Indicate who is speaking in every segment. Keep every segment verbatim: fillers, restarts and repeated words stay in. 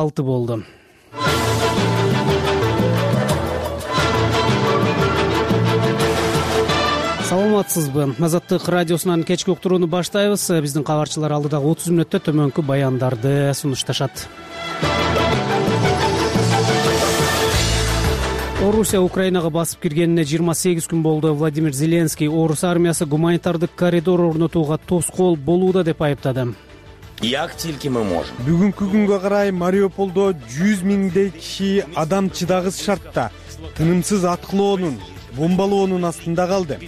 Speaker 1: алты болду. Саламатсызбы? Азаттык радиосунан кечки уктурууну баштайбыз. Биздин кабарчылар алдыдагы отуз мүнөттө төмөнкү баяндарды сунушташат. Орусия Украинага басып киргенине жыйырма сегиз күн болду. Владимир Зеленский орус армиясы гуманитардык коридор орнотууга тоскоол болууда деп айыптады.
Speaker 2: Як тилки мы можем.
Speaker 3: Бүгүнкү күнгө карай Мариуполдо жүз миңдей киши адам чыдагыс шартта тынымсыз аткылоонун, бомбалоонун астында калды.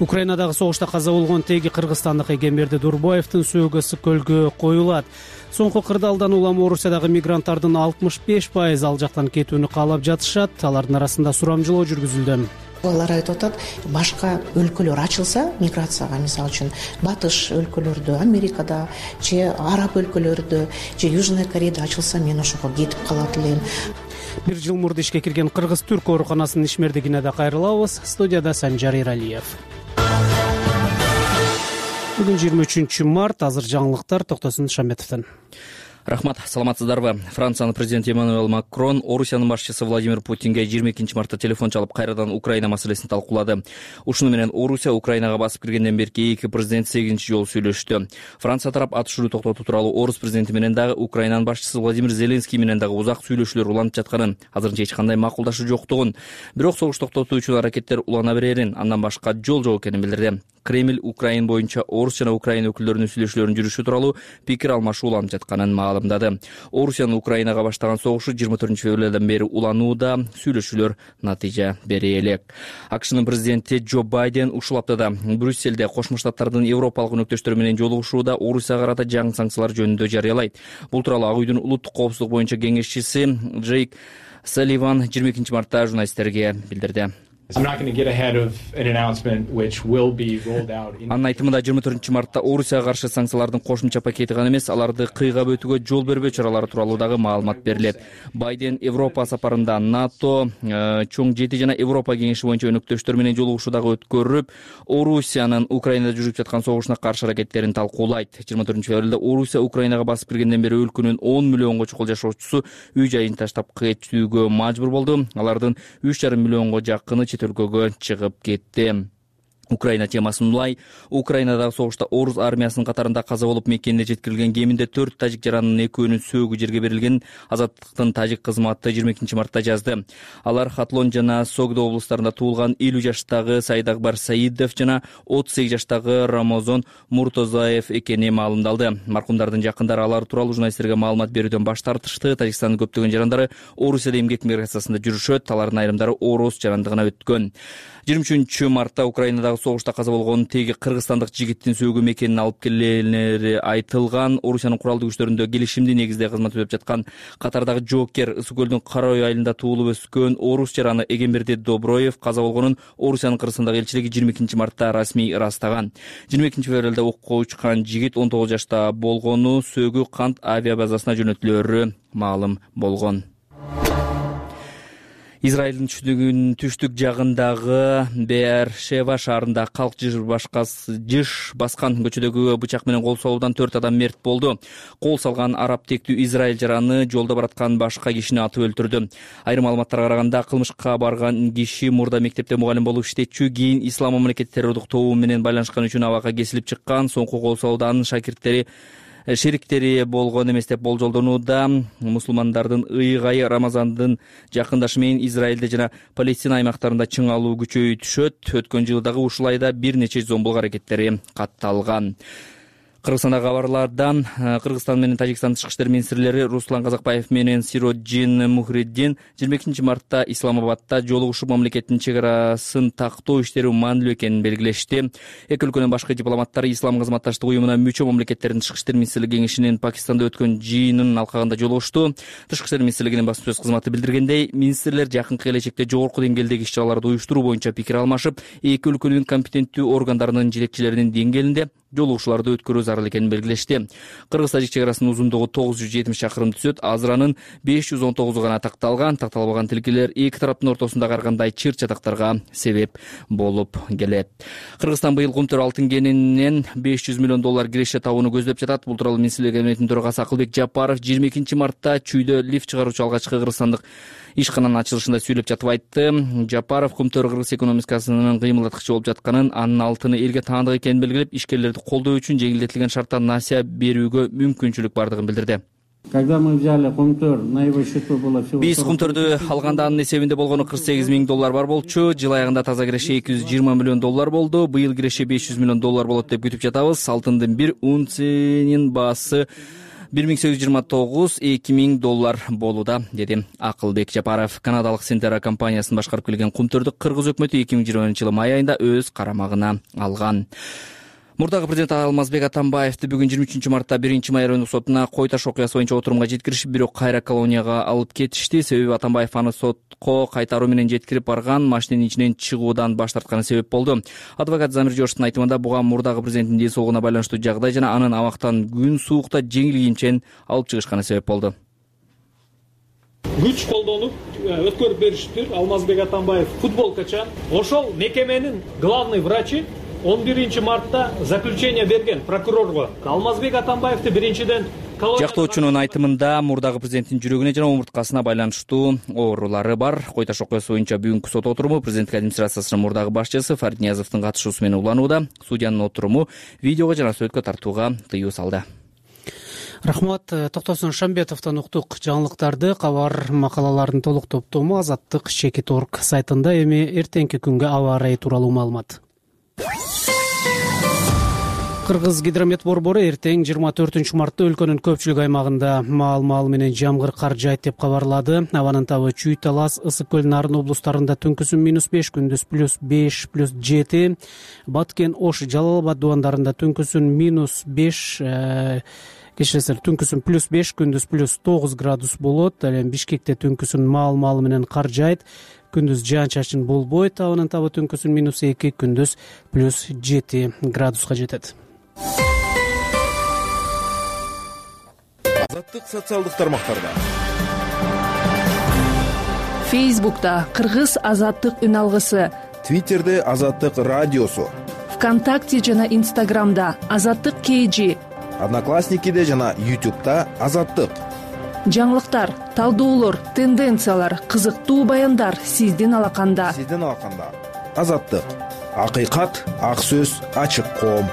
Speaker 1: Украинадагы согушта каза болгон теги кыргызстандык Эгемберди Дурбаевдин сөөгөсү көлгө коюлат. Соңку кырдаалдан улам Орусиядагы мигранттардын алтымыш беш пайыз ал жактан кетүүнү каалап жатышат. Алардын арасында сурамжылоо жүргүзүлдү.
Speaker 4: Алар айтып атат, башка өлкөлөр ачылса миграцияга, мисалы үчүн батыш өлкөлөрдө, Америкада же араб өлкөлөрдө же Южный Кореяда ачылса, мен ошого кетип калат элем.
Speaker 1: Бир жыл мурда ишке кирген Кыргыз-Түрк ооруканасынын ишмердигине да кайрылабыз. Студияда Санжар Иралиев. Бүгүн жыйырма үчүнчү март, азыр жаңылыктар Токтосун Шаметовдон.
Speaker 5: Рахмат, саламатсыздарбы? Франциянын президенти Эммануэль Макрон Орусиянын башчысы Владимир Путинге жыйырма экинчи мартта телефон чалып кайрадан Украина маселесин талкуулады. Ушуну менен Орусия Украинага басып киргенден берки эки президент сегизинчи жолу сүйлөштү. Франция тарап атышууну токтотуу тууралуу орус президенти менен дагы Украинанын башчысы Владимир Зеленский менен дагы узак сүйлөшүүлөр уланып жатканын, азырынча эч кандай макулдашуу жоктугун, бирок согуш токтотуу үчүн аракеттер улана берерин, андан башка жол жок экенин билдирди. Кремль Украин боюнча орус жана Украина өкүлдөрүнүн сүйлөшүүлөрүн жүрүшү тууралуу пикир алмашуу уланып жатканын маалымдады. Орусиянын Украинага баштаган согушу жыйырма төртүнчү февралдан бери уланууда, сүйлөшүүлөр натыйжа бере элек. АКШнын президенти Джо Байден ушул аптада Брюссельде Кошмо Штаттардын европалык өнөктөштөрү менен жолугушууда Орусияга карата жаңы санкциялар жөнүндө жарыялайт. Бул тууралуу Ак үйдүн улуттук коопсуздук боюнча кеңешчиси Джейк Салливан жыйырма экинчи мартта журналисттерге билдирди. Анын айтымында жыйырма төртүнчү мартта Орусияга каршы санкциялардын кошумча пакети гана эмес, аларды кыйгап өтүүгө жол бербөө чаралары тууралуу дагы маалымат берилет. Байден Европа сапарында НАТО, чоң жети жана Европа кеңеши боюнча өнөктөштөр менен жолугушуу дагы өткөрүп, Орусиянын Украинада жүрүп жаткан согушуна каршы аракеттерин талкуулайт. жыйырма төртүнчү февралда Орусия Украинага басып киргенден бери өлкөнүн он миллионго чукул жашоочусу үй жайын таштап кетүүгө мажбур болду. Алардын үч жарым миллионго жакыны чет өлкөгө чыгып кетти. Украина темасын улай, Украинадагы согушта орус армиясынын катарында каза болуп мекенине жеткирилген кеминде төрт тажик жаранынын экөөнүн сөөгү жерге берилген. Азаттыктын тажик кызматы жыйырма экинчи мартта жазды. Алар Хатлон жана Согдо облустарында туулган элүү жаштагы Сайдакбар Саидов жана отуз сегиз жаштагы Рамазон Муртозаев экени маалымдалды. Маркумдардын жакындары алар тууралуу журналисттерге маалымат берүүдөн баш тартышты. Тажикстандын көптөгөн жарандары Орусияда эмгек миграциясында жүрүшөт. Алардын айрымдары орус жарандыгына өткөн. жыйырма үчүнчү мартта Украинадагы согушта каза болгон теги кыргызстандык жигиттин сөөгү мекенин алып келгенери айтылган. Орусиянын куралдуу күчтөрүндө келишимдүү негизде кызмат өтөп жаткан катардагы жоокер Ысык көлдүн Кара үй айылында туулуп өскөн орус жараны Эгемберди Доброев каза болгонун Орусиянын Кыргызстандагы элчилиги жыйырма экинчи мартта расмий ырастаган. жыйырма экинчи февралда окко учкан жигит он тогуз жашта болгону сөөгү Кант авиабазасына жөнөтүлөрү маалым болгон. Израилдин түштүгүн түштүк жагындагы Беэр-Шева шаарында калк жыш жыш баскан көчөдөгү бычак менен кол салуудан төрт адам мерт болду. Кол салган араб тектүү Израиль жараны жолдо бараткан башка кишини атып өлтүрдү. Айрым маалыматтарга караганда кылмышка барган киши мурда мектепте мугалим болуп иштечү, кийин ислам мамлекет террордук тобу менен байланышкан үчүн абакка кесилип чыккан. Соңку кол салууда анын шакирттери шериктери болгон эмес деп болжолдонууда. Мусулмандардын ыйгайы Рамазандын жакындашы менен Израилде жана Палестина аймактарында чың алуу күчөйө түшөт. Өткөн жылы дагы ушул айда бир нече зомбулук аракеттери катталган. Кыргызстандагы кабарлардан Кыргызстан менен Тажикстан тышкы иштер министрлери Руслан Казакбаев менен Сироджин Мухриддин жыйырма экинчи мартта Исламабадда жолугушуп мамлекеттин чек арасын тактоо иштери маанилүү экенин белгилешти. Эки өлкөнүн башкы дипломаттары Ислам кызматташтык уюмуна мүчө мамлекеттердин тышкы иштер министрлиги кеңешинин Пакистанда өткөн жыйынын алкагында жолугушту. Тышкы иштер министрлигинин басма сөз кызматы билдиргендей, министрлер жакынкы келечекте жогорку деңгээлдеги иш-чараларды уюштуруу боюнча пикир алмашып, эки өлкөнүн компетенттүү органдарынын жетекчилеринин деңгээлинде жолугушууларды өткөрүү зарыл экенин белгилешти. Кыргыз-тажик чек арасынын узундугу тогуз жүз жетимиш чакырым түзөт. Азыранын беш жүз он тогузу гана такталган. Такталбаган тилкелер эки тараптын ортосундагы ар кандай чыр чатактарга себеп болуп келет. Кыргызстан быйыл Кумтөр алтын кенинен беш жүз миллион доллар киреше табууну көздөп жатат. Бул тууралуу Министрлер кабинетинин төрагасы Акылбек Жапаров жыйырма экинчи мартта Чүйдө лифт чыгаруучу алгачкы кыргызстандык ишкананын ачылышында сүйлөп жатып айтты. Жапаров Кумтөр кыргыз экономикасынын кыймылдаткычы болуп жатканын, анын алтыны элге таандык экенин белгилеп, ишкерлерди колдоо үчүн жеңилдетилген шартта насыя берүүгө мүмкүнчүлүк бардыгын билдирди.
Speaker 6: Когда мы взяли Кумтөр, на его счету было всего...
Speaker 5: Биз Кумтөрдү алганда анын эсебинде болгону кырк сегиз миң доллар бар болчу. Жыл аягында таза киреше эки жүз жыйырма миллион доллар болду. Быйыл киреше беш жүз миллион доллар болот деп күтүп жатабыз. Алтындын бир унциясынын баасы бир миң сегиз жүз жыйырма тогуз эки миң доллар болууда, деди Акылбек Жапаров. Канадалык Сентера компаниясын башкарып келген Кумтөрдү кыргыз өкмөтү эки миң жыйырма биринчи жылы май айында өз карамагына алган. Мурдагы президент Алмазбек Атамбаевди бүгүн жыйырма үчүнчү мартта биринчи май райондук сотуна кой таш окуясы боюнча отурумга жеткиришип, бирок кайра колонияга алып кетишти. Себеби Атамбаев аны сотко кайтаруу менен жеткирип барган машинанын ичинен чыгуудан баш тартканы себеп болду. Адвокат Замир Жошовдун айтымында буга мурдагы президенттин ден соолугуна байланыштуу жагдай жана анын абактан күн суукта жеңил кийимчен алып чыгышканы себеп болду.
Speaker 7: Күч колдонуп өткөрүп беришиптир. Алмазбек Атамбаев футболкачан. Ошол мекеменин главный врачы он биринчи мартта заключение берген прокурорго. Алмазбек Атамбаевди биринчиден
Speaker 5: Жактоочунун айтымында мурдагы президенттин жүрөгүнө жана омурткасына байланыштуу оорулары бар. Кой таш окуясы боюнча бүгүнкү сот отуруму президенттик администрациясынын мурдагы башчысы Фарид Ниязовдун катышуусу менен уланууда. Судьянын отуруму видеого жана сүрөткө тартууга тыюу салды.
Speaker 1: Рахмат. Токтосун Шамбетовдон уктук. Жаңылыктарды, кабар макалалардын толук топтому Азаттык Чекит точка орг сайтында. Эми эртеңки күнгө аба ырайы тууралуу маалымат. Кыргыз гидромет борбору эртең жыйырма төртүнчү мартта өлкөнүн көпчүлүк аймагында маал-маал менен жамгыр кар жайт деп кабарлады. Абанын табы Чүй, Талас, Ысык көл, Нарын облустарында түнкүсүн минус беш, күндүз плюс беш, плюс жети. Баткен, Ош, Жалал Абад дубандарында түнкүсүн минус беш, кечиресиз түнкүсүн плюс беш, күндүз плюс тогуз градус болот. Ал эми Бишкекте түнкүсүн маал-маал менен кар жайт. Күндүз жаан-чачын болбойт. Абанын табы түнкүсүн минус эки, күндүз плюс жети градуска жетет.
Speaker 8: Азаттык социалдык тармактарда.
Speaker 9: Фейсбукта Кыргыз Азаттык үн алгысы,
Speaker 8: Твиттерде Азаттык радиосу,
Speaker 9: ВКонтакте жана Инстаграмда Азаттык кейжи,
Speaker 8: Одноклассникиде жана Ютубта Азаттык.
Speaker 9: Жаңылыктар, талдоолор, тенденциялар, кызыктуу баяндар сиздин алаканда.
Speaker 8: Сиздин алаканда. Азаттык. Акыйкат, ак сөз, ачык коом.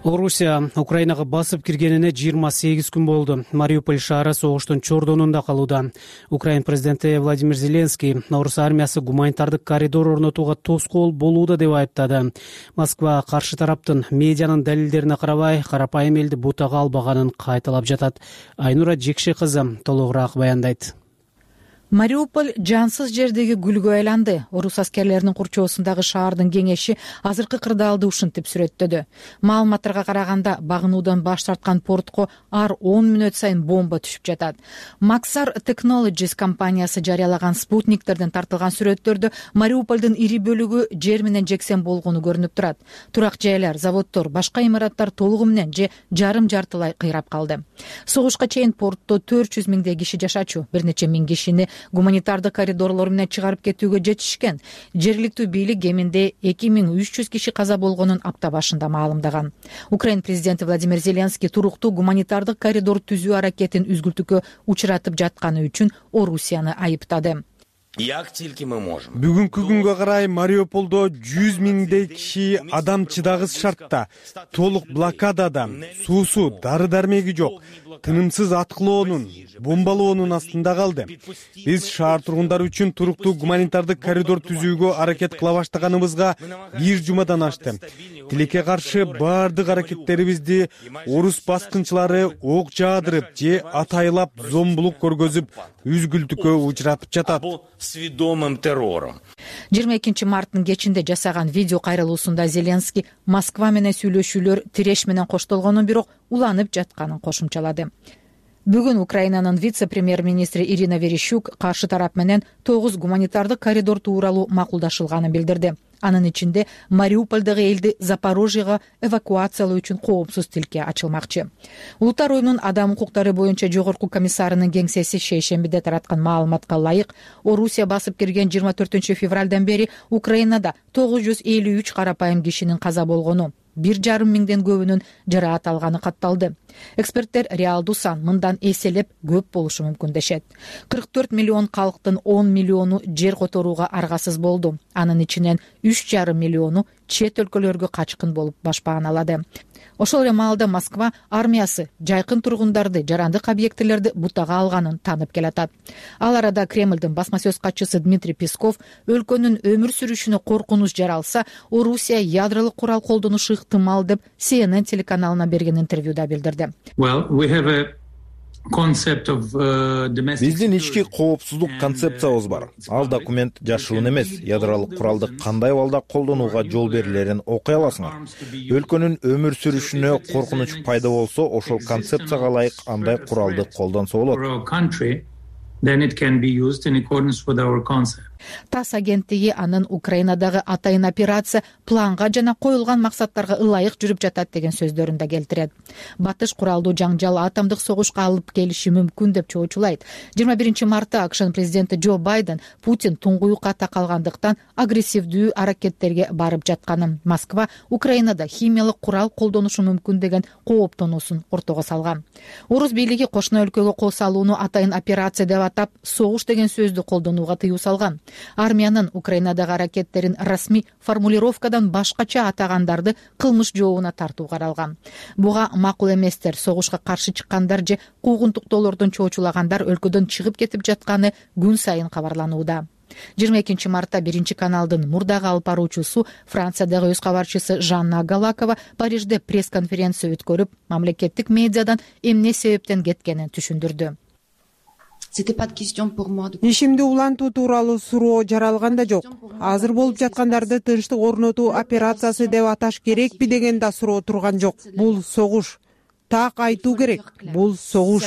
Speaker 1: Орусия Украинага басып киргенине жыйырма сегиз күн болду. Мариуполь шаары согуштун чордонунда калууда. Украин президенти Владимир Зеленский Орус армиясы гуманитардык коридор орнотууга тоскоол болууда деп айыптады. Москва каршы тараптын медианын далилдерине карабай, карапайым элди бутага албаганын кайталап жатат. Айнура Жекше кызы толугураак баяндайт.
Speaker 10: Мариуполь жансыз жердеги гүлгө айланды. Орус аскерлеринин курчоосундагы шаардын кеңеши азыркы кырдаалды ушинтип сүрөттөдү. Маалыматтарга караганда багынуудан баш тарткан портко ар он мүнөт сайын бомба түшүп жатат. Maxar Technologies компаниясы жарыялаган спутниктерден тартылган сүрөттөрдө Мариупольдун ири бөлүгү жер менен жексен болгону көрүнүп турат. Турак жайлар, заводдор, башка имараттар толугу менен же жарым жартылай кыйрап калды. Согушка чейин портто төрт жүз миңдей киши жашачу, бир нече миң кишини гуманитардык коридорлор менен чыгарып кетүүгө жетишкен. Жергиликтүү бийлик кеминде эки миң үч жүз киши каза болгонун апта башында маалымдаган. Украин президенти Владимир Зеленский туруктуу гуманитардык коридор түзүү аракетин үзгүлтүккө учуратып жатканы үчүн Орусияны айыптады.
Speaker 3: Бүгүнкү күнгө карай Мариуполдо жүз миңдей киши адам чыдагыс шартта, толук блокадада, суусу, дары-дармеги жок, тынымсыз аткылоонун, бомбалоонун астында калды. Биз шаар тургундары үчүн туруктуу гуманитардык коридор түзүүгө аракет кыла баштаганыбызга бир жумадан ашты. Тилекке каршы баардык аракеттерибизди орус баскынчылары ок жаадырып же атайлап зомбулук көргөзүп, үзгүлтүккө учуратып жатат.
Speaker 2: Сведомым террором.
Speaker 10: жыйырма экинчи марттын кечинде жасаган видео кайрылуусунда Зеленский Москва менен сүйлөшүүлөр тиреш менен коштолгонун, бирок уланып жатканын кошумчалады. Бүгүн Украинанын вице-премьер-министри Ирина Верещук каршы тарап менен тогуз гуманитардык коридор тууралуу макулдашылганын билдирди. Анын ичинде Мариупольдогу элди Запорожьега эвакуациялоо үчүн коопсуз тилке ачылмакчы. Улуттар оюнунун адам укуктары боюнча жогорку комиссарынын кеңсеси шейшембиде тараткан маалыматка ылайык, Орусия басып кирген жыйырма төртүнчү февралдан бери Украинада тогуз жүз элүү үч карапайым кишинин каза болгону, бир жарым миңден көбүнүн жараат алганы катталды. Эксперттер реалдуу сан мындан эселеп көп болушу мүмкүн дешет. кырк төрт миллион калктын он миллиону жер которууга аргасыз болду. Анын ичинен үч жарым миллиону чет өлкөлөргө качкын болуп башпааналады. Ошол эле маалда Москва армиясы жайкын тургундарды, жарандык объектилерди бутага алганын таанып келатат. Ал арада Кремлдин басма сөз катчысы Дмитрий Песков өлкөнүн өмүр сүрүшүнө коркунуч жаралса, Орусия ядролук курал колдонушу ыктымал деп си эн эн телеканалына берген интервьюда билдирди.
Speaker 8: Биздин ички коопсуздук концепциябыз бар. Ал документ жашыруун эмес. Ядролук куралды кандай абалда колдонууга жол берилерин окуй аласыңар. Өлкөнүн өмүр сүрүшүнө коркунуч пайда болсо, ошол концепцияга ылайык андай куралды колдонсо болот.
Speaker 10: ТАСС агенттиги анын Украинадагы атайын операция планга жана коюлган максаттарга ылайык жүрүп жатат деген сөздөрүндө келтирет. Батыш куралдуу жаңжал атомдук согушка алып келиши мүмкүн деп чоочулайт. жыйырма биринчи мартта АКШнын президенти Джо Байден Путин туңгуюкка такалгандыктан агрессивдүү аракеттерге барып жатканын, Москва Украинада химиялык курал колдонушу мүмкүн деген кооптонуусун ортого салган. Орус бийлиги кошуна өлкөгө кол салууну атайын операция деп атап, согуш деген сөздү колдонууга тыюу салган. Армиянын Украинадагы аракеттерин расмий формулировкадан башкача атагандарды кылмыш жообуна тартуу каралган. Буга макул эместер, согушка каршы чыккандар же куугунтуктоолордон чоочулагандар өлкөдөн чыгып кетип жатканы күн сайын кабарланууда. жыйырма экинчи мартта биринчи каналдын мурдагы алып баруучусу, Франциядагы өз кабарчысы Жанна Галакова Парижде пресс-конференция өткөрүп, мамлекеттик медиадан эмне себептен кеткенин түшүндүрдү.
Speaker 11: Ишимди улантуу тууралуу суроо жаралган да жок. Азыр болуп жаткандарды тынчтык орнотуу операциясы деп аташ керекпи деген да суроо турган жок. Бул согуш. Так айтуу керек. Бул согуш.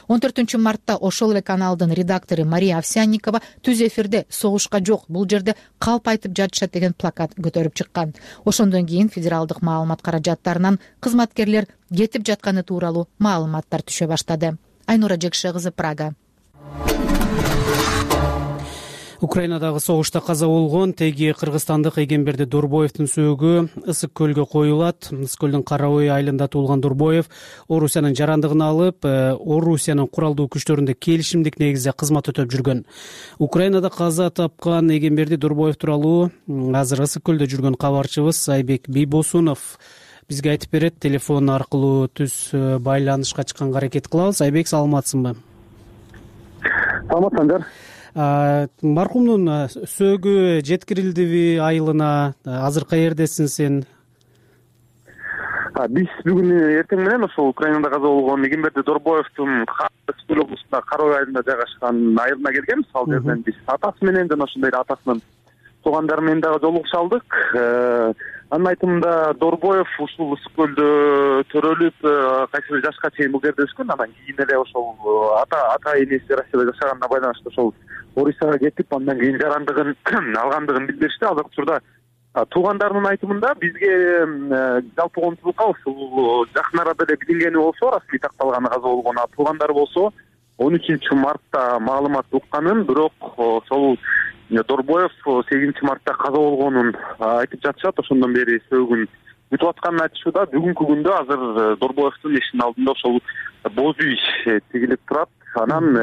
Speaker 10: он төртүнчү мартта ошол эле каналдын редактору Мария Овсянникова түз эфирде согушка жок, бул жерде калп айтып жатышат деген плакат көтөрүп чыккан. Ошондон кийин федералдык маалымат каражаттарынан кызматкерлер кетип жатканы тууралуу маалыматтар түшө баштады. Айнура Жекше кызы, Прага.
Speaker 1: Украинадагы согушта каза болгон теги кыргызстандык Эгемберди Дурбоевдин сөөгү Ысык көлгө коюлат. Ысык көлдүн Караой айылында туулган Дурбоев Орусиянын жарандыгын алып, Орусиянын куралдуу күчтөрүндө келишимдик негизде кызмат өтөп жүргөн. Украинада каза тапкан Эгемберди Дурбоев тууралуу азыр Ысык көлдө жүргөн кабарчыбыз Айбек Бийбосунов бизге айтып берет. Телефон аркылуу түз байланышка чыкканга аракет кылабыз. Айбек, саламатсыңбы?
Speaker 12: Саламат Санжар.
Speaker 1: Маркумдун сөөгү жеткирилдиби айылына? Азыр каердесиң сен?
Speaker 12: Биз бүгүн эртең менен ошол Украинада каза болгон Эгемберди Дурбоевдун Ысык облусунда Караой айылында жайгашкан айылына келгенбиз. Ал жерден биз атасы менен жана ошондой атасынын туугандары менен дагы жолугуша алдык. Анын айтымында Дурбоев ушул Ысык көлдө төрөлүп, кайсы бир жашка чейин бул жерде өскөн. Анан кийин эле ошол ата ата энеси Россияда жашаганына байланыштуу ошол Орусияга кетип, андан кийин жарандыгын алгандыгын билдиришти. Азыркы учурда туугандарынын айтымында бизге жалпы консулдукка ушул жакын арада эле билингени болсо, расмий такталганы каза болгон, а туугандары болсо он үчүнчү мартта маалымат укканын, бирок ошол Дурбоев сегизинчи мартта каза болгонун айтып жатышат. Ошондон бери сөөгүн күтүп атканын айтышууда. Бүгүнкү күндө азыр Дурбоевдун эшигинин алдында ошол боз үй тигилип турат. Анан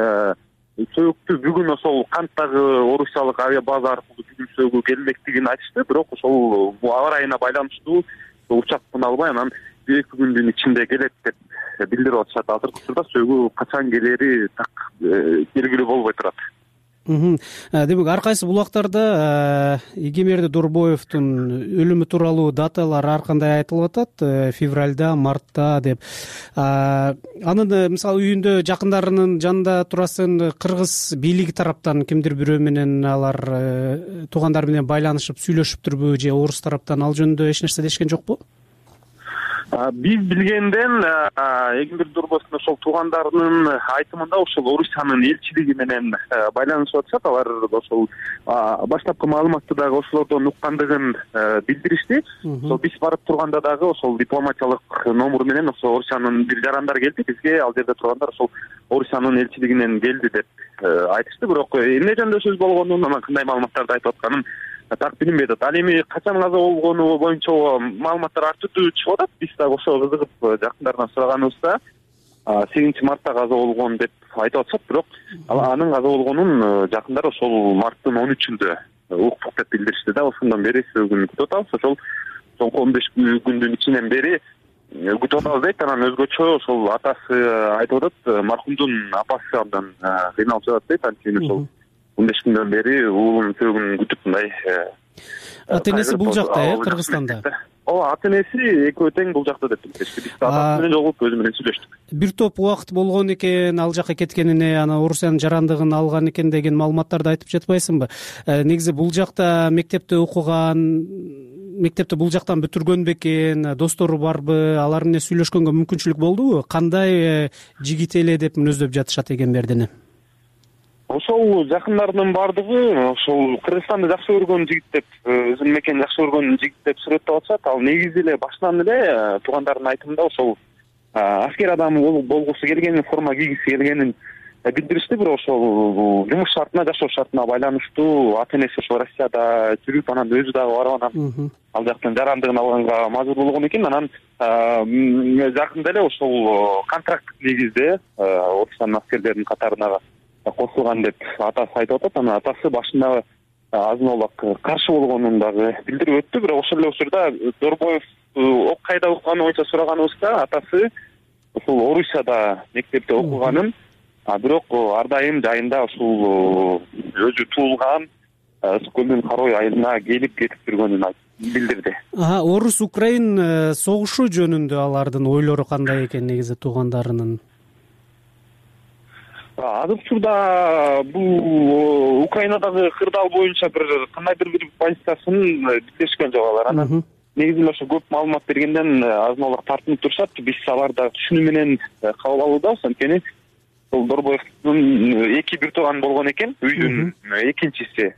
Speaker 12: сөөгү бүгүн ошол канттагы орусиялык авиа база аркылуу бүгүн сөөгү келмектигин айтышты. Бирок ошол аба ырайына байланыштуу учак кына албай, анан бир эки күндүн ичинде келет деп билдирип атышат. Азыркы учурда сөөгү качан келери так белгилүү болбой турат.
Speaker 1: Демек, ар кайсы булактарда Эгемберди Дурбоевдун өлүмү тууралуу даталар ар кандай айтылып атат, февралда, мартта деп. Анын мисалы үйүндө жакындарынын жанында турасың, кыргыз бийлиги тараптан кимдир бирөө менен алар туугандар менен байланышып сүйлөшүптүрбү же орус тараптан ал жөнүндө эч нерсе дешкен жокпу?
Speaker 12: Биз билгенден Эгемберди Дорбоевдун ошол туугандарынын айтымында ошол Орусиянын элчилиги менен байланышып атышат. Алар ошол баштапкы маалыматты дагы ошолордон уккандыгын билдиришти. Ошол биз барып турганда дагы ошол дипломатиялык номер менен ошол Орусиянын бир жарандар келди бизге. Ал жерде тургандар ошол Орусиянын элчилигинен келди деп айтышты. Бирок эмне жөнүндө сөз болгонун, анан кандай маалыматтарды айтып атканын так билинбейт. Ал эми качан каза болгону боюнча маалыматтар ар түрдүү чыгып атат. Биз дагы ошого кызыгып жакындарынан сураганыбызда сегизинчи мартта каза болгон деп айтып атышат. Бирок анын каза болгонун жакындары ошол марттын он үчүндө уктук деп билдиришти да. Ошондон бери сөөгүн күтүп атабыз. Ошол соңку он беш күндүн ичинен бери күтүп атабыз дейт. Анан өзгөчө ошол атасы айтып атат, маркумдун апасы абдан кыйналып жатат дейт. Анткени ошол он беш күндөн бери уулунун сөөгүн күтүп мындай.
Speaker 1: Ата энеси бул жакта, э, Кыргызстанда.
Speaker 12: Ооба, ата энеси экөө тең бул жакта деп билдиришти. Биз атасы менен жолугуп өзү менен сүйлөштүк.
Speaker 1: Бир топ убакыт болгон экен, ал жака кеткенине, анан Орусиянын жарандыгын алган экен деген маалыматтарды айтып жатпайсыңбы? Негизи бул жакта мектепте окуган, мектепти бул жактан бүтүргөн бекен, достору барбы, алар менен сүйлөшкөнгө мүмкүнчүлүк болдубу? Кандай жигит эле деп мүнөздөп жатышат Эгембердини?
Speaker 12: Ошол жакындарынын баардыгы ошол Кыргызстанды жакшы көргөн жигит деп, өзүнүн мекенин жакшы көргөн жигит деп сүрөттөп атышат. Ал негизи эле башынан эле туугандарынын айтымында ошол аскер адамы болгусу келгенин, форма кийгиси келгенин билдиришти. Бирок ошол жумуш шартына, жашоо шартына байланыштуу ата энеси ошол Россияда жүрүп, анан өзү дагы барып анан ал жактан жарандыгын алганга мажбур болгон экен. Анан жакында эле ошол контракт негизде Орусиянын аскерлеринин катарына косулган деп атасы айтып атат. Анан атасы башында азын олак каршы болгонун дагы билдирип өттү. Бирок ошол эле учурда Дорбоев ок кайда окуганы боюнча сураганыбызда атасы ошол Орусияда мектепте окуганын, бирок ар дайым жайында ушул өзү туулган Ысык көлдүн Карой айылына келип кетип жүргөнүн билдирди.
Speaker 1: Орус Украин согушу жөнүндө алардын ойлору кандай экен негизи туугандарынын?
Speaker 12: Азыркы учурда бул Украинадагы кырдаал боюнча бир кандайдыр бир позициясын билдиришкен жок алар. Анан негизи ошо көп маалымат бергенден азын олак тартынып турушат. Биз аларды түшүнүү менен кабыл алуудабыз. Анткени бул Дорбоевдун эки бир тууган болгон экен, үйдүн экинчиси.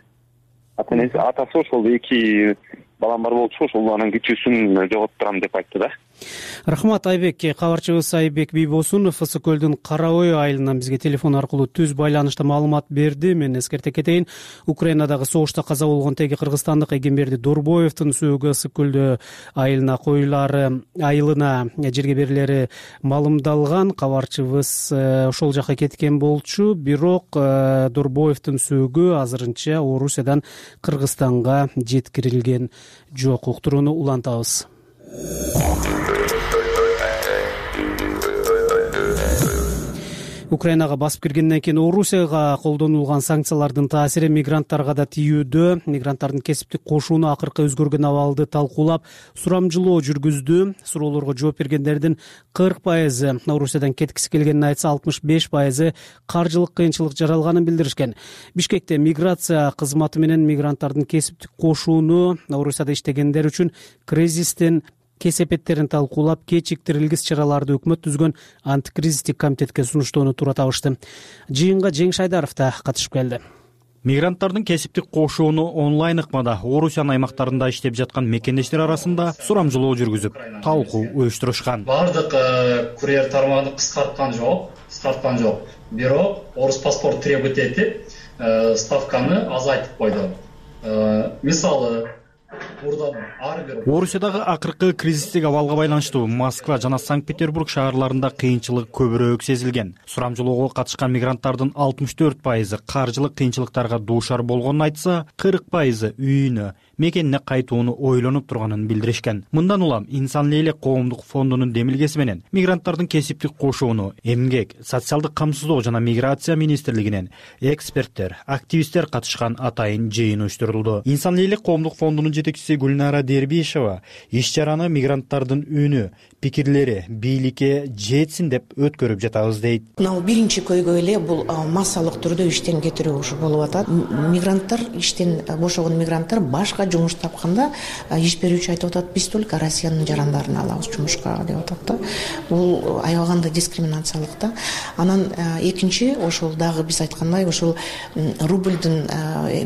Speaker 12: Атасы ошол эки балам бар болчу, ошол анын кичүүсүн жоготуп турам деп айтты да.
Speaker 1: Рахмат Айбек. Кабарчыбыз Айбек Бийбосунов Ысык көлдүн Караой айылынан бизге телефон аркылуу түз байланышта маалымат берди. Мен эскерте кетейин, Украинадагы согушта каза болгон теги кыргызстандык Эгемберди Дорбоевдун сөөгү Ысык көлдү айылына коюлары, айылына жерге берилери маалымдалган. Кабарчыбыз ошол жака кеткен болчу, бирок Дорбоевдун сөөгү азырынча Орусиядан Кыргызстанга жеткирилген жок. Уктурууну улантабыз. Украинага басып киргенден кийин Орусияга колдонулган санкциялардын таасири мигранттарга да тиүүдө. Мигранттардын кесиптик кошууну акыркы өзгөргөн абалды талкуулап, сурамжылоо жүргүздү. Суроолорго жооп бергендердин кырк пайызы Орусиядан кеткиси келгенин айтса, алтымыш беш пайызы каржылык кыйынчылык жаралганын билдиришкен. Бишкекте миграция кызматы менен мигранттардын кесиптик кошууну Орусияда иштегендер үчүн кризистин кесепеттерин талкуулап, кечиктирилгис чараларды өкмөт түзгөн антикризистик комитетке сунуштоону туура табышты. Жыйынга Жеңиш Айдаров да катышып келди.
Speaker 13: Мигранттардын кесиптик кошууну онлайн ыкмада Орусиянын аймактарында иштеп жаткан мекендештер арасында сурамжылоо жүргүзүп, талкуу уюштурушкан.
Speaker 14: Бардык курьер тармагын кыскарткан жок, кыскарткан жок. Бирок орус паспорт требовать этип, ставканы азайтып койду. Мисалы,
Speaker 13: Орусиядагы акыркы кризистик абалга байланыштуу Москва жана Санкт-Петербург шаарларында кыйынчылык көбүрөөк сезилген. Сурамжылоого катышкан мигранттардын алтымыш төрт пайызы каржылык кыйынчылыктарга дуушар болгонун айтса, кырк пайызы үйүнө, мекенине кайтууну ойлонуп турганын билдиришкен. Мындан улам Инсан элек коомдук фондунун демилгеси менен мигранттардын кесиптик кошууну Эмгек, социалдык камсыздоо жана миграция министрлигинен эксперттер, активисттер катышкан атайын жыйын уюштурулду. Инсан элек коомдук фондунун жетекчиси Гүлнара Дербишева иш чараны мигранттардын үнү, пикирлери бийликке жетсин деп өткөрүп жатабыз дейт.
Speaker 4: Мына биринчи көйгөй эле бул массалык түрдө иштен кетирүү болуп атат. Мигранттар, иштен бошогон мигранттар башка жумуш тапканда иш берүүчү айтып атат, биз только Россиянын жарандарын алабыз жумушка деп атат да. Бул аябаганда дискриминациялык да. Анан экинчи ошол дагы биз айткандай ошол рубльдин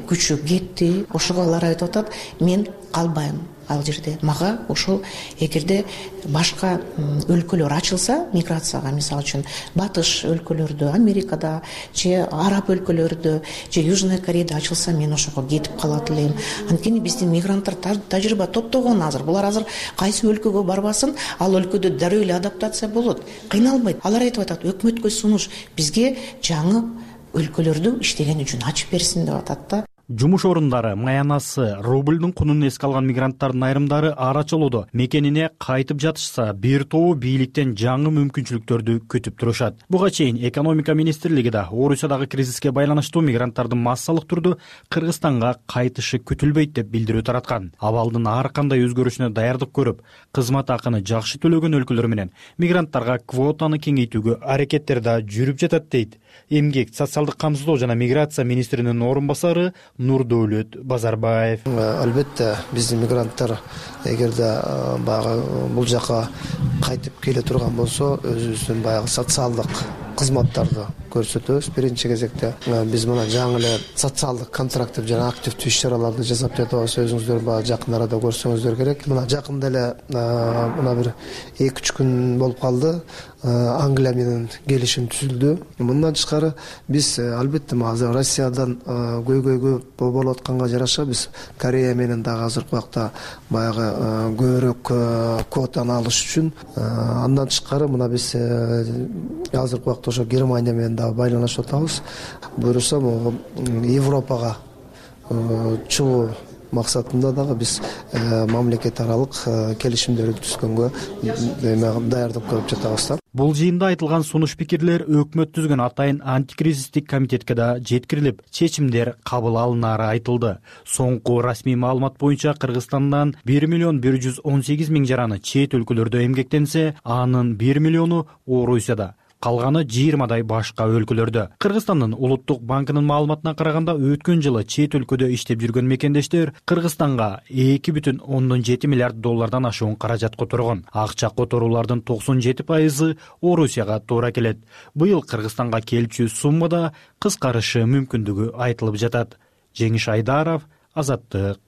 Speaker 4: күчү кетти. Ошого алар айтып атат, мен калбайм ал жерде. Мага ошол эгерде башка өлкөлөр ачылса миграцияга, мисалы үчүн батыш өлкөлөрдө, Америкада же араб өлкөлөрдө же Южный Кореяда ачылса, мен ошого кетип калат элем. Анткени биздин мигранттар тажрыйба топтогон азыр. Булар азыр кайсы өлкөгө барбасын, ал өлкөдө дароо эле адаптация болот, кыйналбайт. Алар айтып атат, өкмөткө сунуш бизге жаңы өлкөлөрдү иштеген үчүн ачып берсин деп атат да.
Speaker 13: Жумуш орундары, маянасы, рубльдун кунун эске алган мигранттардын айрымдары арачылоодо мекенине кайтып жатышса, бир тобу бийликтен жаңы мүмкүнчүлүктөрдү күтүп турушат. Буга чейин экономика министрлиги да Орусиядагы кризиске байланыштуу мигранттардын массалык түрдө Кыргызстанга кайтышы күтүлбөйт деп билдирүү тараткан. Абалдын ар кандай өзгөрүшүнө даярдык көрүп, кызмат акыны жакшы төлөгөн өлкөлөр менен мигранттарга квотаны кеңейтүүгө аракеттер да жүрүп жатат дейт Эмгек, социалдык камсыздоо жана миграция министринин орун басары Нурдөлөт Базарбаев.
Speaker 15: Албетте биздин мигранттар эгерде баягы бул жака кайтып келе турган болсо, өзүбүздүн баягы социалдык кызматтарды көрсөтөбүз. Биринчи кезекте биз мына жаңы эле социалдык контракттык жана активдүү иш чараларды жасап жатабыз. Өзүңүздөр баягы жакын арада көрсөңүздөр керек. Мына жакында эле мына бир эки үч күн болуп калды. Англия менен келишим түзүлдү. Мындан тышкары биз албетте азыр Россиядан көйгөйгө болуп атканга жараша биз Корея менен дагы азыркы убакта баягы көбүрөөк квотаны алыш үчүн, андан тышкары мына биз азыркы убакта ошо Германия менен дагы байланышып атабыз. Буюрса могу Европага чыгуу максатында дагы биз мамлекет аралык келишимдерди түзгөнгө даярдык көрүп жатабыз да.
Speaker 13: Бул жыйында айтылган сунуш пикирлер өкмөт түзгөн атайын антикризистик комитетке да жеткирилип, чечимдер кабыл алынары айтылды. Соңку расмий маалымат боюнча Кыргызстандан бир миллион бир жүз он сегиз миң жараны чет өлкөлөрдө эмгектенсе, анын бир миллиону Орусияда, калганы жыйырмадай башка өлкөлөрдө. Кыргызстандын улуттук банкынын маалыматына караганда, өткөн жылы чет өлкөдө иштеп жүргөн мекендештер Кыргызстанга эки бүтүн ондон жети миллиард доллардан ашуун каражат которгон. Акча которуулардын токсон жети пайызы Орусияга туура келет. Быйыл Кыргызстанга келчү суммада кыскарышы мүмкүндүгү айтылып жатат. Жеңиш Айдаров, Азаттык.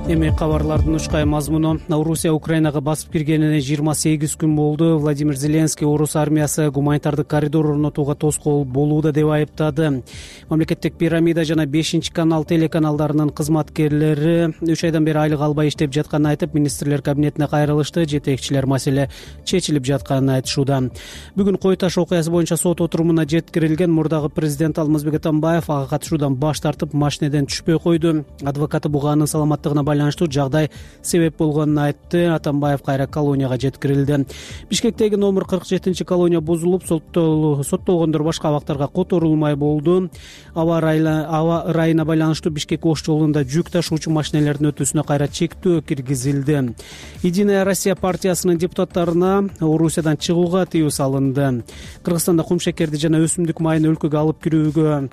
Speaker 1: Эми кабарлардын учкай мазмуну. Орусия Украинага басып киргенине жыйырма сегиз күн болду. Владимир Зеленский орус армиясы гуманитардык коридор орнотууга тоскоол болууда деп айыптады. Мамлекеттик пирамида жана бешинчи канал телеканалдарынын кызматкерлери үч айдан бери айлык албай иштеп жатканын айтып, министрлер кабинетине кайрылышты. Жетекчилер маселе чечилип жатканын айтышууда. Бүгүн Кой Таш окуясы боюнча сот отурумуна жеткирилген мурдагы президент Алмазбек Атамбаев ага катышуудан баш тартып, машинеден түшпөй койду. Адвокаты буга анын саламаттыгына байланыштуу жагдай себеп болгонун айтты. Атамбаев кайра колонияга жеткирилди. Бишкектеги номер кырк жетинчи колония бузулуп, соттолгондор башка абактарга которулмай болду. Аба ырайына байланыштуу Бишкек Ош жолунда жүк ташуучу машинелердин өтүүсүнө кайра чектөө киргизилди. Единая Россия партиясынын депутаттарына Орусиядан чыгууга тыюу салынды. Кыргызстанда кумшекерди жана өсүмдүк майын өлкөгө алып кирүүгө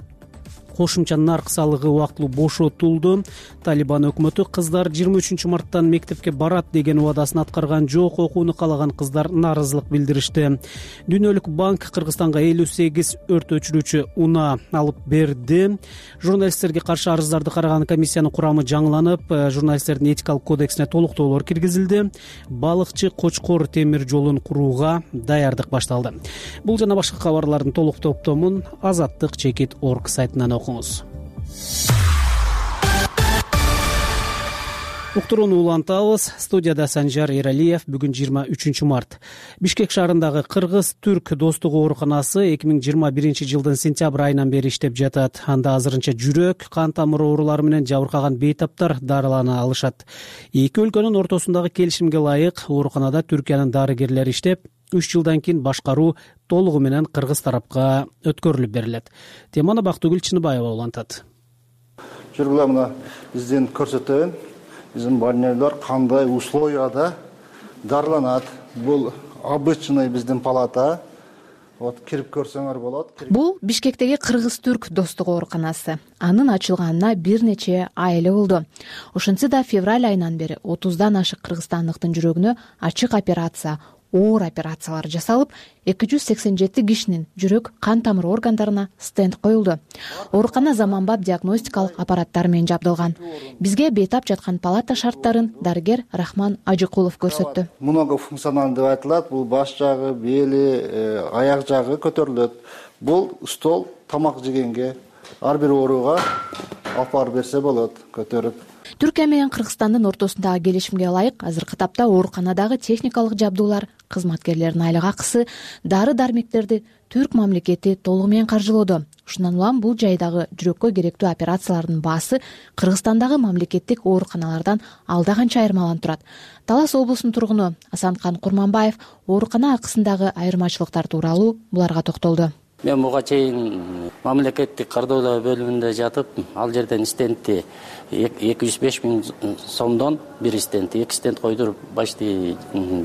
Speaker 1: кошумча нарк салыгы убактылуу бошотулду. Талибан өкмөтү кыздар жыйырма үчүнчү марттан мектепке барат деген убадасын аткарган жок. Окууну каалаган кыздар нааразылык билдиришти. Дүйнөлүк банк Кыргызстанга элүү сегиз өрт өчүрүүчү унаа алып берди. Журналисттерге каршы арыздарды караган комиссиянын курамы жаңыланып, журналисттердин этикалык кодексине толуктоолор киргизилди. Балыкчы Кочкор темир жолун курууга даярдык башталды. Бул жана башка кабарлардын толук топтомун азаттык чекит точка орг сайтынан окуңуз. Уктурууну улантабыз. Студияда Санжар Эралиев. Бүгүн жыйырма үчүнчү март. Бишкек шаарындагы Кыргыз-Түрк достугу ооруканасы эки миң жыйырма биринчи жылдын сентябрь айынан бери иштеп жатат. Анда азырынча жүрөк, кан тамыр оорулары менен жабыркаган бейтаптар дарылана алышат. Эки өлкөнүн ортосундагы келишимге ылайык ооруканада Түркиянын дарыгерлери иштеп, үч жылдан кийин башкаруу толугу менен кыргыз тарапка өткөрүлүп берилет. Теманы Бактыгүл Чыныбаева улантат.
Speaker 16: Жүргүлө мына биздин көрсөтөйүн. Биздин больнойлор кандай условияда дарыланат. Бул обычный биздин палата. вот кирип көрсөңөр болот.
Speaker 9: Бул Бишкектеги кыргыз-түрк достук ооруканасы. Анын ачылганына бир нече ай эле болду. Ошентсе да февраль айынан бери отуздан ашык кыргызстандыктын жүрөгүнө ачык операция, оор операциялар жасалып, эки жүз сексен жети кишинин жүрөк, кан тамыр органдарына стенд коюлду. Оорукана заманбап диагностикалык аппараттар менен жабдылган. Бизге бейтап жаткан палата шарттарын дарыгер Рахман Ажыкулов көрсөттү.
Speaker 16: Многофункционалдуу деп айтылат. Бул баш жагы, бели, аяк жагы көтөрүлөт. Бул стол тамак жегенге ар бир ооруга алып барып берсе болот, көтөрүп.
Speaker 9: Түркия менен Кыргызстандын ортосундагы келишимге ылайык азыркы тапта ооруканадагы техникалык жабдуулар, кызматкерлердин айлык акысы, дары-дармектерди түрк мамлекети толугу менен каржылоодо. Ушундан улам бул жайдагы жүрөккө керектүү операциялардын баасы Кыргызстандагы мамлекеттик ооруканалардан алда канча айырмаланып турат. Талас облусунун тургуну Асанкан Курманбаев оорукана акысындагы айырмачылыктар тууралуу буларга токтолду.
Speaker 17: Мен буга чейин мамлекеттик кардоолоо бөлүмүндө жатып, ал жерден стендти эки жүз беш миң сомдон бир стенд, эки стенд койдуруп, почти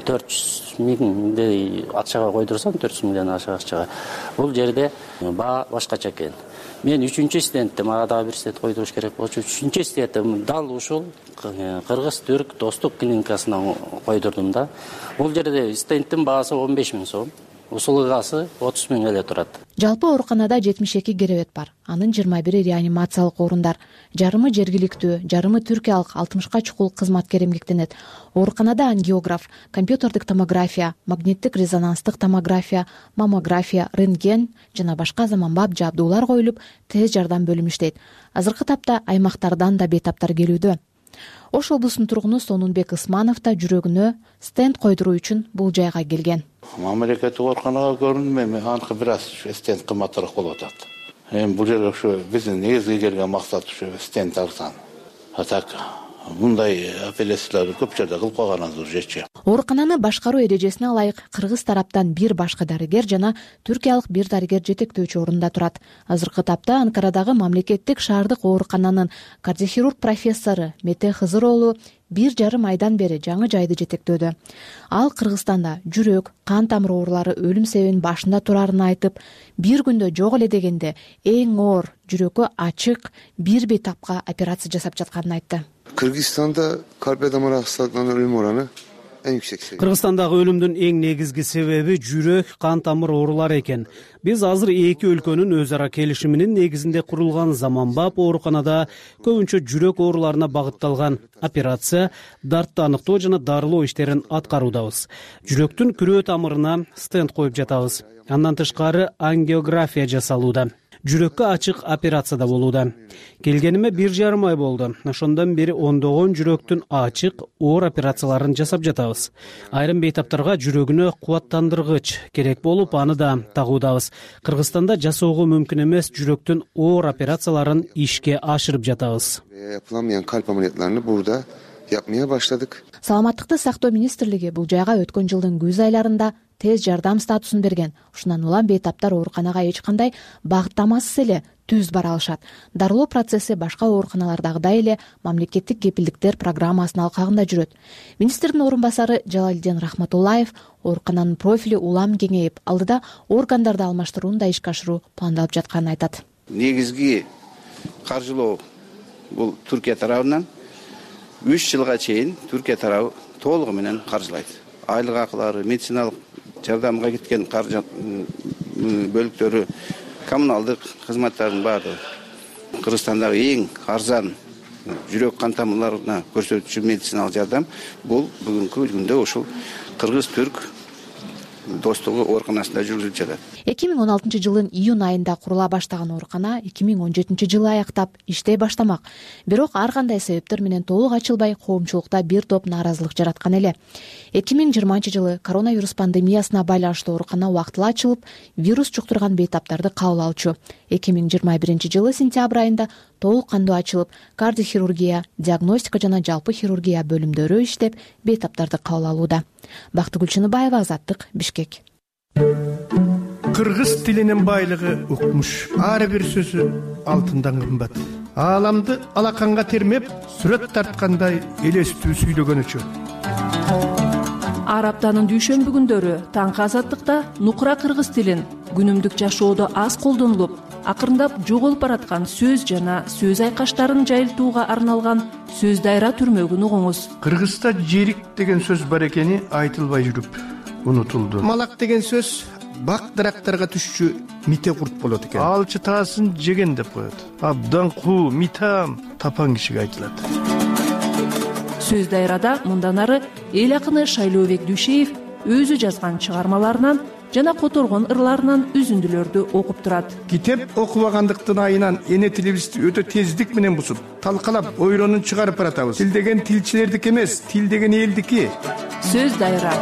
Speaker 17: төрт жүз миңдей акчага койдурсам, төрт жүз миңден ашык акчага. Бул жерде баа башкача экен. Мен үчүнчү стендти, мага дагы бир стенд койдуруш керек болчу. Үчүнчү стендти дал ушул кыргыз-түрк достук клиникасына койдурдум да. Бул жерде стендтин баасы он беш миң сом. Услугасы отуз миң эле турат.
Speaker 9: Жалпы ооруканада жетимиш эки керебет бар. Анын жыйырма бири реанимациялык орундар. Жарымы жергиликтүү, жарымы түркиялык алтымышка чукул кызматкер эмгектенет. Ооруканада ангиограф, компьютердик томография, магниттик резонанстык томография, маммография, рентген жана башка заманбап жабдуулар коюлуп, тез жардам бөлүмү иштейт. Азыркы тапта аймактардан да бейтаптар келүүдө. Ош облусунун тургуну Сонунбек Ысманов да жүрөгүнө стенд койдуруу үчүн бул жайга келген.
Speaker 18: Мамлекеттик ооруканага көрүндүм, эми аныкы бир аз стенд кымбатыраак болуп атат. Эми бул жерге ушу биздин негизги келген максат ушу стенд арзан. А так мындай операцияларды көп жерде кылып койгонубуз жечи.
Speaker 9: Оорукананы башкаруу эрежесине ылайык кыргыз тараптан бир башкы дарыгер жана түркиялык бир дарыгер жетектөөчү орунда турат. Азыркы тапта Анкарадагы мамлекеттик шаардык оорукананын кардиохирург профессору Мете Хызыр уулу бир жарым айдан бери жаңы жайды жетектөөдө. Ал Кыргызстанда жүрөк, кан тамыр оорулары өлүм себебинин башында турарын айтып, бир күндө жок эле дегенде эң оор жүрөккө ачык бир бейтапка операция жасап жатканын айтты.
Speaker 19: Кыргызстанда калп дамыр астынан өлүм ораны эң yüksek seviye.
Speaker 1: Кыргызстандагы өлүмдүн эң негизги себеби жүрөк, кан тамыр оорулары экен. Биз азыр эки өлкөнүн өз ара келишиминин негизинде курулган заманбап ооруканада көбүнчө жүрөк ооруларына багытталган операция, дартты аныктоо жана дарылоо иштерин аткаруудабыз. Жүрөктүн күрөө тамырына стенд коюп жатабыз. Андан тышкары ангиография жасалууда. Жүрөккө ачык операция да болууда. Келгениме бир жарым ай болду. Ошондон бери ондогон жүрөктүн ачык, оор операцияларын жасап жатабыз. Айрым бейтаптарга жүрөгүнө кубаттандыргыч керек болуп, аны да тагуудабыз. Кыргызстанда жасоого мүмкүн эмес жүрөктүн оор операцияларын ишке ашырып жатабыз.
Speaker 19: Yapılamayan kalp ameliyatlarını burada yapmaya başladık.
Speaker 9: Саламаттыкты сактоо министрлиги бул жайга өткөн жылдын күз айларында тез жардам статусун берген. Ушундан улам бейтаптар ооруканага эч кандай багыттамасыз эле түз бара алышат. Дарылоо процесси башка ооруканалардагыдай эле мамлекеттик кепилдиктер программасынын алкагында жүрөт. Министрдин орун басары Жалалдин Рахматуллаев оорукананын профили улам кеңейип, алдыда органдарды алмаштырууну да ишке ашыруу пландалып жатканын айтат.
Speaker 20: Негизги каржылоо бул Түркия тарабынан үч жылга чейин Түркия тарабы толугу менен каржылайт. Айлык акылары, медициналык жардамга кеткен каржы бөлүктөрү, коммуналдык кызматтардын баардыгы Кыргызстандагы эң арзан жүрөк кан тамырларына көрсөтүүчү медициналык жардам бул бүгүнкү күндө ушул кыргыз-түрк достугу ооруканасында жүргүзүлүп жатат.
Speaker 9: эки миң он алтынчы жылдын июнь айында курула баштаган оорукана эки миң он жетинчи жылы аяктап иштей баштамак. Бирок ар кандай себептер менен толук ачылбай, коомчулукта бир топ нааразылык жараткан эле. эки миң жыйырманчы жылы коронавирус пандемиясына байланыштуу оорукана убактылуу ачылып, вирус жуктурган бейтаптарды кабыл алчу. эки миң жыйырма биринчи жылы сентябрь айында толук кандуу ачылып, кардиохирургия, диагностика жана жалпы хирургия бөлүмдөрү иштеп, бейтаптарды кабыл алууда. Бактыгүл Чыныбаева, Азаттык, Бишкек.
Speaker 21: Кыргыз тилинин байлыгы укмуш. Ар бир сөзү алтындан кымбат. Ааламды алаканга термеп, сүрөт тарткандай элестүү сүйлөгөнүчү.
Speaker 9: Ар аптанын дүйшөмбү күндөрү таңкы Азаттыкта нукура кыргыз тилин
Speaker 6: күнүмдүк жашоодо аз колдонулуп, акырындап жоголуп бараткан сөз жана сөз айкаштарын жайылтууга арналган сөз дайра түрмөгүн угуңуз.
Speaker 21: Кыргызда жерик деген сөз бар экени айтылбай жүрүп унутулду. Малак деген сөз бак дарактарга түшчү мите курт болот экен. Алчы таасын жеген деп коет. Абдан куу, митам тапан кишиге айтылат.
Speaker 6: Сөз дайрада мындан ары эл акыны Шайлообек Дүйшеев өзү жазган чыгармаларынан жана которгон ырларынан үзүндүлөрдү окуп турат.
Speaker 21: Китеп окубагандыктын айынан эне тилибизди өтө тездик менен бузуп, талкалап, ойронун чыгарып баратабыз. Тил деген тилчилердики эмес, тил деген элдики.
Speaker 6: Сөз дайра.